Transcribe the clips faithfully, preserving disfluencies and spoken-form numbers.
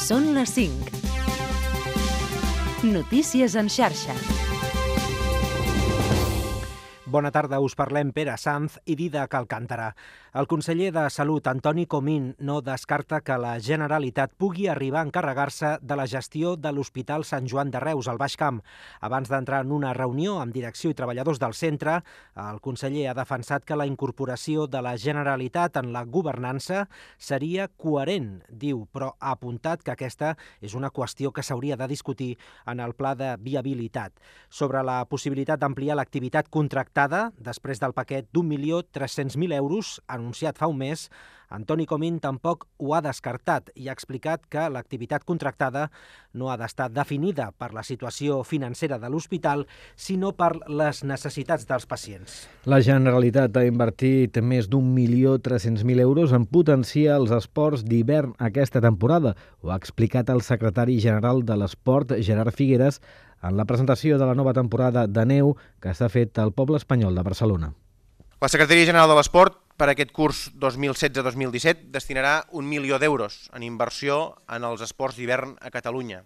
Són les cinc. Notícies en xarxa. Bona tarda, us parlem Pere Sanz i Dídac Alcántara. El conseller de Salut, Antoni Comín, no descarta que la Generalitat pugui arribar a encarregar-se de la gestió de l'Hospital Sant Joan de Reus, al Baix Camp. Abans d'entrar en una reunió amb direcció i treballadors del centre, el conseller ha defensat que la incorporació de la Generalitat en la governança seria coherent, diu, però ha apuntat que aquesta és una qüestió que s'hauria de discutir en el pla de viabilitat. Sobre la possibilitat d'ampliar l'activitat contractada, després del paquet d'un milió tres-cents mil euros anunciat fa un mes, Antoni Comín tampoc ho ha descartat i ha explicat que l'activitat contractada no ha d'estar definida per la situació financera de l'hospital, sinó per les necessitats dels pacients. La Generalitat ha invertit més d'un milió tres-cents mil euros en potenciar els esports d'hivern aquesta temporada. Ho ha explicat el secretari general de l'Esport, Gerard Figueres, en la presentació de la nova temporada de neu que s'ha fet al poble espanyol de Barcelona. La Secretaria General de l'Esport per aquest curs dos mil setze dos mil disset destinarà un milió d'euros en inversió en els esports d'hivern a Catalunya.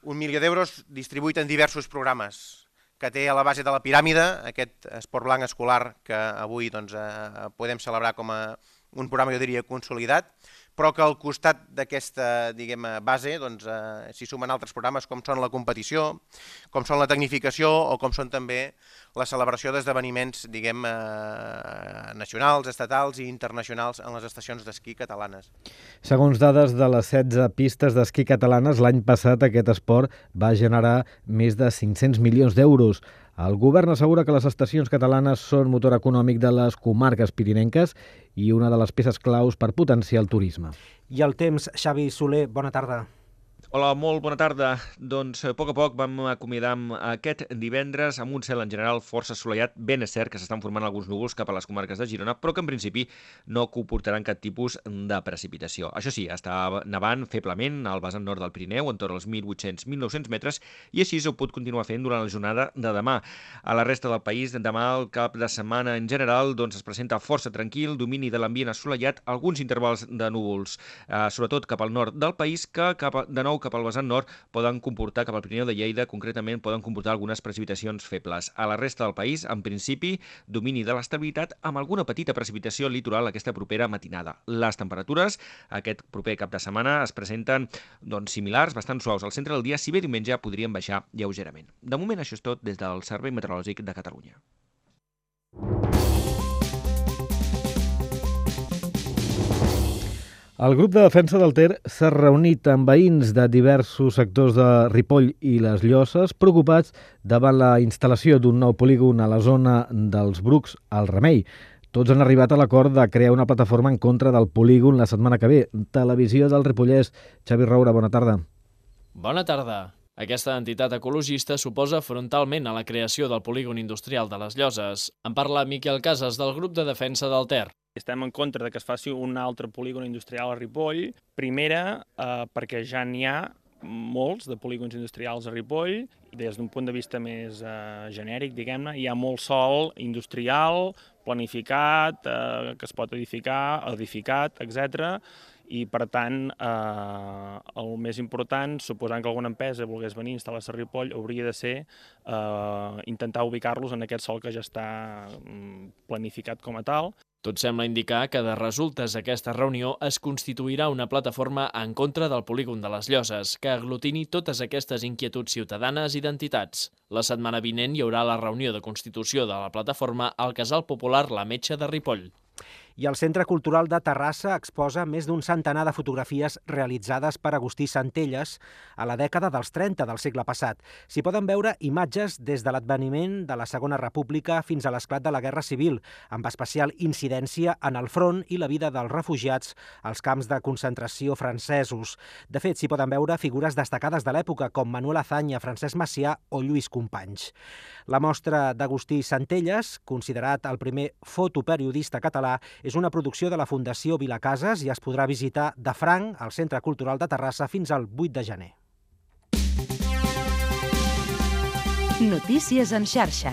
Un milió d'euros distribuït en diversos programes que té a la base de la piràmide aquest esport blanc escolar que avui doncs, eh, podem celebrar com a un programa, jo diria, consolidat, però que al costat d'aquesta diguem, base doncs, eh, s'hi sumen altres programes com són la competició, com són la tecnificació o com són també la celebració d'esdeveniments diguem, eh, nacionals, estatals i internacionals en les estacions d'esquí catalanes. Segons dades de les setze pistes d'esquí catalanes, l'any passat aquest esport va generar més de cinc-cents milions d'euros. El govern assegura que les estacions catalanes són motor econòmic de les comarques pirinenques i una de les peces claus per potenciar el turisme. I el temps, Xavi Soler, bona tarda. Hola, molt bona tarda. Doncs a poc a poc vam acomiadar aquest divendres amb un cel en general força assolellat. Ben és cert que s'estan formant alguns núvols cap a les comarques de Girona, però que en principi no comportaran cap tipus de precipitació. Això sí, està nevant feblement al vessant nord del Pirineu, entorn als mil vuit-cents a mil nou-cents metres, i així ho pot continuar fent durant la jornada de demà. A la resta del país, demà el cap de setmana en general doncs, es presenta força tranquil, domini de l'ambient assolellat, alguns intervals de núvols, eh, sobretot cap al nord del país, que cap a, de nou cap al vessant nord poden comportar, cap al Pirineu de Lleida, concretament poden comportar algunes precipitacions febles. A la resta del país, en principi, domini de l'estabilitat amb alguna petita precipitació litoral aquesta propera matinada. Les temperatures aquest proper cap de setmana es presenten doncs, similars, bastant suaus al centre del dia, si bé diumenge podrien baixar lleugerament. De moment això és tot des del Servei Meteorològic de Catalunya. El grup de defensa del Ter s'ha reunit amb veïns de diversos sectors de Ripoll i les Llosses preocupats davant la instal·lació d'un nou polígon a la zona dels Brucs al Remei. Tots han arribat a l'acord de crear una plataforma en contra del polígon la setmana que ve. Televisió del Ripollès. Xavi Roura, bona tarda. Bona tarda. Aquesta entitat ecologista s'oposa frontalment a la creació del polígon industrial de les Llosses. En parla Miquel Casas, del grup de defensa del Ter. Estem en contra de que es faci un altre polígon industrial a Ripoll. Primera, eh, perquè ja n'hi ha molts de polígons industrials a Ripoll. Des d'un punt de vista més eh, genèric, diguem-ne, hi ha molt sòl industrial, planificat, eh, que es pot edificar, edificat, etcètera. I, per tant, eh, el més important, suposant que alguna empresa volgués venir a instal·lar-se a Ripoll, hauria de ser eh, intentar ubicar-los en aquest sòl que ja està planificat com a tal. Tot sembla indicar que de resultes d'aquesta reunió es constituirà una plataforma en contra del polígon de les Llosses, que aglutini totes aquestes inquietuds ciutadanes i d'entitats. La setmana vinent hi haurà la reunió de constitució de la plataforma al Casal Popular La Metxa de Ripoll. I el Centre Cultural de Terrassa exposa més d'un centenar de fotografies realitzades per Agustí Centelles a la dècada dels trenta del segle passat. S'hi poden veure imatges des de l'adveniment de la Segona República fins a l'esclat de la Guerra Civil, amb especial incidència en el front i la vida dels refugiats als camps de concentració francesos. De fet, s'hi poden veure figures destacades de l'època, com Manuel Azaña, Francesc Macià o Lluís Companys. La mostra d'Agustí Centelles, considerat el primer fotoperiodista català, és una producció de la Fundació Vilacases i es podrà visitar de franc al Centre Cultural de Terrassa fins al vuit de gener. Notícies en xarxa.